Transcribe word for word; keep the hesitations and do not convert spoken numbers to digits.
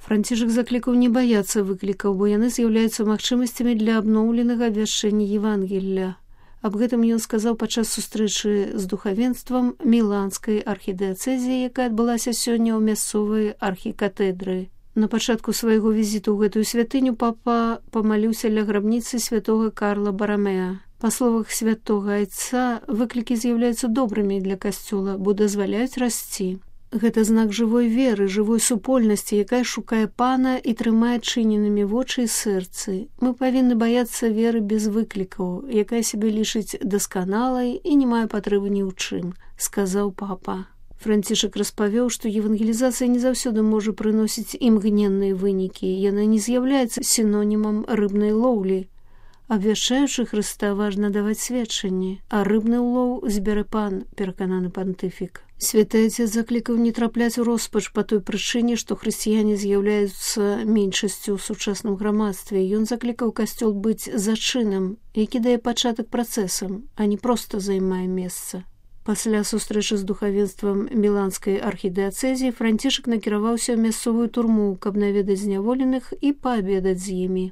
Францішак заклікаў не баяцца выклікаў, бо яны з'яўляюцца магчымасцямі для абноўленага абвяшчэння Евангелля. Аб гэтым ён сказаў падчас сустрэчы з духавенствам міланскай архідыяцэзіі, якая адбылася сёння ў мясцовай архікатэдры. На пачатку свайго візіту ў гэтую святыню папа памаліўся ля грабніцы святога Карла Барамеа. Па словах святога айца, выклікі з'яўляюцца добрымі для касцёла, бо дазваляюць расці. Гэта знак жывой веры, жывой супольнасці, якая шукае пана і трымае чыненымі вочы і сэрцы. Мы павінны баяцца веры без выклікаў, якая сябе лічыць дасканалай і не мае патрэбы ні ў чым, сказаў папа. Францішак распавёў, што евангелізацыя не заўсёды можа прыносіць імгненныя вынікі, яна не з'яўляецца сінонімам рыбнай лоўлі. Абвяшчаючы Хрыста важна даваць сведчанні, а рыбны ўлоў збярэ пан, перакананы пантыфік. Святы Отец заклікаў не трапляць у роспач па той прычыне, што хрысціяне з'яўляюцца меншасцю ў сучасным грамадстве. Ён заклікаў касцёл быць зачынам, які дае пачатак працэсам, а не проста займае месца. Пасля сустрэчы з духавенствам міланскай архідыяцэзіі Францішак накіраваўся ў мясцовую турму, каб наведаць зняволеных і паабедаць з імі.